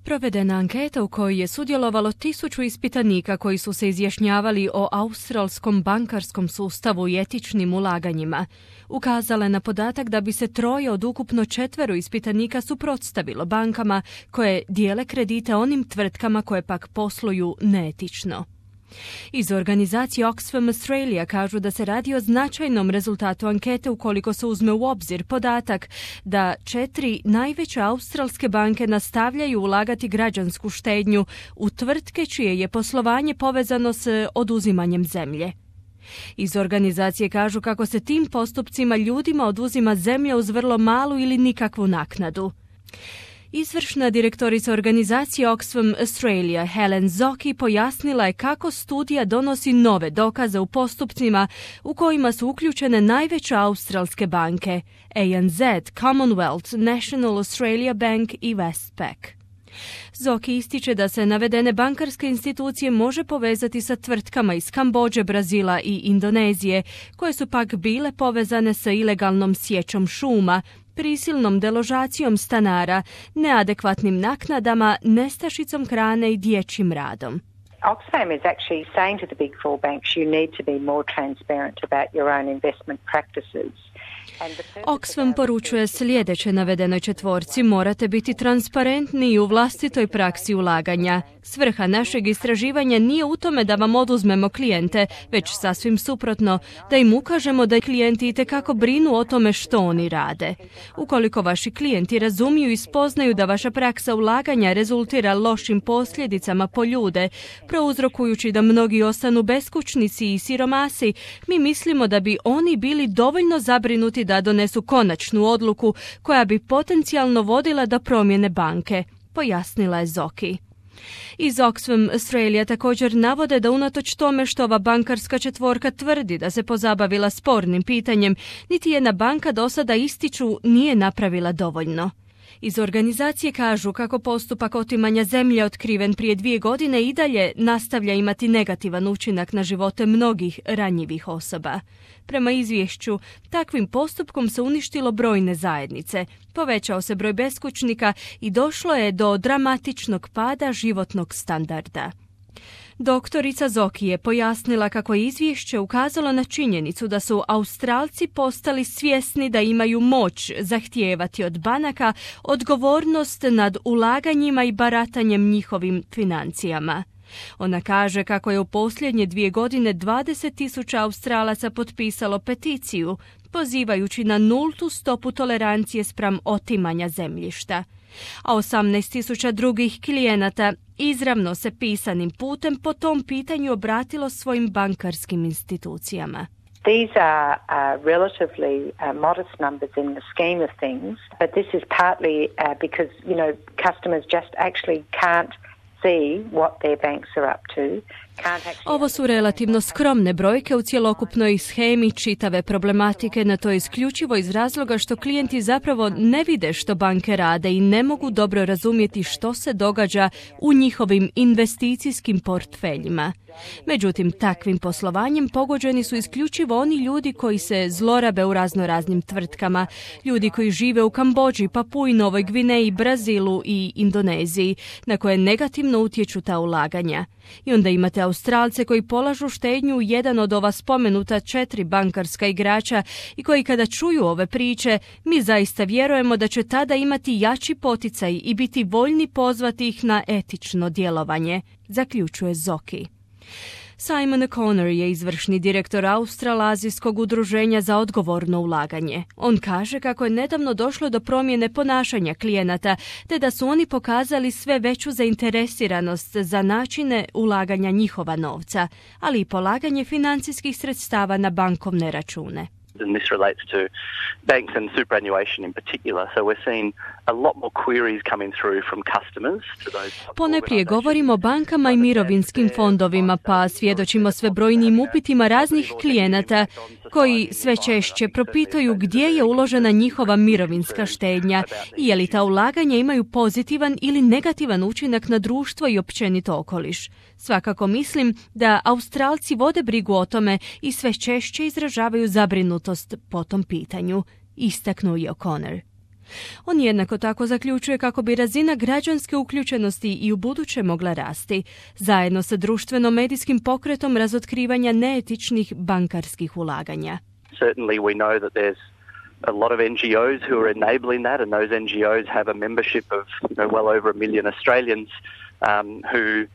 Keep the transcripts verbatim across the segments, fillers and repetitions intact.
Provedena anketa u kojoj je sudjelovalo tisuću ispitanika koji su se izjašnjavali o australskom bankarskom sustavu i etičnim ulaganjima, ukazala je na podatak da bi se troje od ukupno četvero ispitanika suprotstavilo bankama koje dijele kredite onim tvrtkama koje pak posluju neetično. Iz organizacije Oxfam Australia kažu da se radi o značajnom rezultatu ankete ukoliko se uzme u obzir podatak da četiri najveće australske banke nastavljaju ulagati građansku štednju u tvrtke čije je poslovanje povezano s oduzimanjem zemlje. Iz organizacije kažu kako se tim postupcima ljudima oduzima zemlja uz vrlo malu ili nikakvu naknadu. Izvršna direktorica organizacije Oxfam Australia Helen Zocchi pojasnila je kako studija donosi nove dokaze u postupcima u kojima su uključene najveće australske banke A N Z, Commonwealth, National Australia Bank i Westpac. Zocchi ističe da se navedene bankarske institucije može povezati sa tvrtkama iz Kambodže, Brazila i Indonezije, koje su pak bile povezane sa ilegalnom sječom šuma, prisilnom deložacijom stanara, neadekvatnim naknadama, nestašicom hrane i dječjim radom. Oxfam is actually saying to the big four banks you need to be more transparent about your own investment practices. Oxfam poručuje sljedeće navedenoj četvorci: morate biti transparentni u vlastitoj praksi ulaganja. Svrha našeg istraživanja nije u tome da vam oduzmemo klijente, već sasvim suprotno, da im ukažemo da klijenti itekako brinu o tome što oni rade. Ukoliko vaši klijenti razumiju i spoznaju da vaša praksa ulaganja rezultira lošim posljedicama po ljude, prouzrokujući da mnogi ostanu beskućnici i siromasi, mi mislimo da bi oni bili dovoljno zabrinuti da donesu konačnu odluku koja bi potencijalno vodila do promjene banke, pojasnila je Zocchi. Iz Oxfam Australia također navode da unatoč tome što ova bankarska četvorka tvrdi da se pozabavila spornim pitanjem, niti jedna banka do sada, ističu, nije napravila dovoljno. Iz organizacije kažu kako postupak otimanja zemlje otkriven prije dvije godine i dalje nastavlja imati negativan učinak na živote mnogih ranjivih osoba. Prema izvješću, takvim postupkom se uništilo brojne zajednice, povećao se broj beskućnika i došlo je do dramatičnog pada životnog standarda. Doktorica Zocchi je pojasnila kako je izvješće ukazalo na činjenicu da su Australci postali svjesni da imaju moć zahtijevati od banaka odgovornost nad ulaganjima i baratanjem njihovim financijama. Ona kaže kako je u posljednje dvije godine dvadeset tisuća Australaca potpisalo peticiju, pozivajući na nultu stopu tolerancije spram otimanja zemljišta, a osamnaest tisuća drugih klijenata izravno se pisanim putem po tom pitanju obratilo svojim bankarskim institucijama. These are uh, relatively uh, modest numbers in the scheme of things, but this is partly uh, because, you know, customers just actually can't see what their banks are up to. Ovo su relativno skromne brojke u cjelokupnoj shemi čitave problematike, na to isključivo iz razloga što klijenti zapravo ne vide što banke rade i ne mogu dobro razumjeti što se događa u njihovim investicijskim portfeljima. Međutim, takvim poslovanjem pogođeni su isključivo oni ljudi koji se zlorabe u raznoraznim tvrtkama, ljudi koji žive u Kambodži, Papui, Novoj Gvineji, Brazilu i Indoneziji, na koje negativno utječu ta ulaganja. I onda imate Australce koji polažu štednju u jedan od ova spomenuta četiri bankarska igrača i koji kada čuju ove priče, mi zaista vjerujemo da će tada imati jači poticaj i biti voljni pozvati ih na etično djelovanje, zaključuje Zocchi. Simon O'Connor je izvršni direktor Australazijskog udruženja za odgovorno ulaganje. On kaže kako je nedavno došlo do promjene ponašanja klijenata, te da su oni pokazali sve veću zainteresiranost za načine ulaganja njihova novca, ali i polaganje financijskih sredstava na bankovne račune. And this relates to banks and superannuation in particular. So we're seeing a lot more queries coming through from customers to those. Poneprije govorimo o bankama i mirovinskim fondovima, pa svjedočimo sve brojnim upitima raznih klijenata koji sve češće propituju gdje je uložena njihova mirovinska štednja i je li ta ulaganja imaju pozitivan ili negativan učinak na društvo i općenito okoliš. Svakako mislim da Australci vode brigu o tome i sve češće izražavaju zabrinutost po tom pitanju, istaknuo je O'Connor. On jednako tako zaključuje kako bi razina građanske uključenosti i u buduće mogla rasti, zajedno sa društveno-medijskim pokretom razotkrivanja neetičnih bankarskih ulaganja. Certainly we know that there's a lot of N G Os who are enabling that, and those N G Os have a membership of you know, well over a million Australians um, who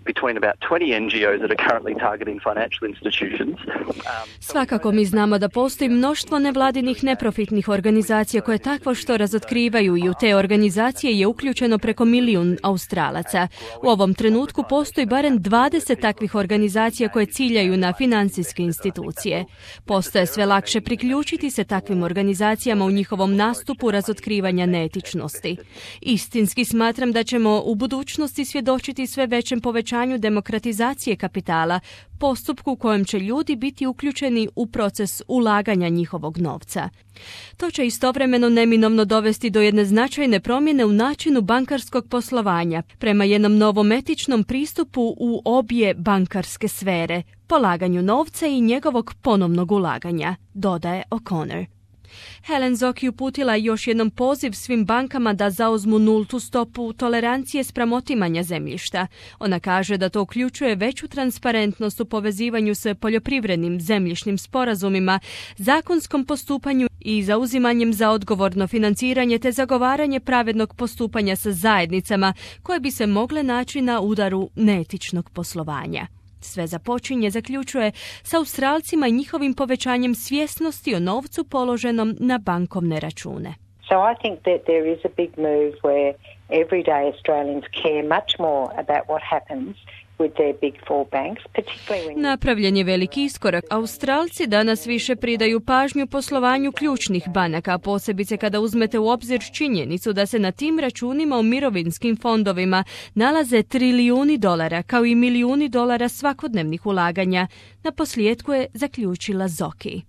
between about twenty N G Os that are currently targeting financial institutions. Um, Svakako mi znamo da postoji mnoštvo nevladinih neprofitnih organizacija koje takvo što razotkrivaju i u te organizacije je uključeno preko milijun Australaca. U ovom trenutku postoji barem dvadeset takvih organizacija koje ciljaju na financijske institucije. Postoje sve lakše priključiti se takvim organizacijama u njihovom nastupu razotkrivanja neetičnosti. Istinski smatram da ćemo u budućnosti svjedočiti sve većem povećanju demokratizacije kapitala, postupku u kojem će ljudi biti uključeni u proces ulaganja njihovog novca. To će istovremeno neminovno dovesti do jedne značajne promjene u načinu bankarskog poslovanja prema jednom novom etičnom pristupu u obje bankarske sfere, polaganju novca i njegovog ponovnog ulaganja, dodaje O'Connor. Helen Zoki uputila još jednom poziv svim bankama da zauzmu nultu stopu tolerancije spram otimanja zemljišta. Ona kaže da to uključuje veću transparentnost u povezivanju s poljoprivrednim zemljišnim sporazumima, zakonskom postupanju i zauzimanjem za odgovorno financiranje te zagovaranje pravednog postupanja sa zajednicama koje bi se mogle naći na udaru neetičnog poslovanja. Sve započinje, zaključuje, sa Australcima i njihovim povećanjem svjesnosti o novcu položenom na bankovne račune. So I think that there is a big move where everyday Australians care much more about what happens with their big four banks, particularly when... Napravljen je veliki iskorak. Australci danas više pridaju pažnju poslovanju ključnih banaka, posebice kada uzmete u obzir činjenicu da se na tim računima u mirovinskim fondovima nalaze trilijuni dolara, kao i milijuni dolara svakodnevnih ulaganja. Na posljedku je zaključila Zoki.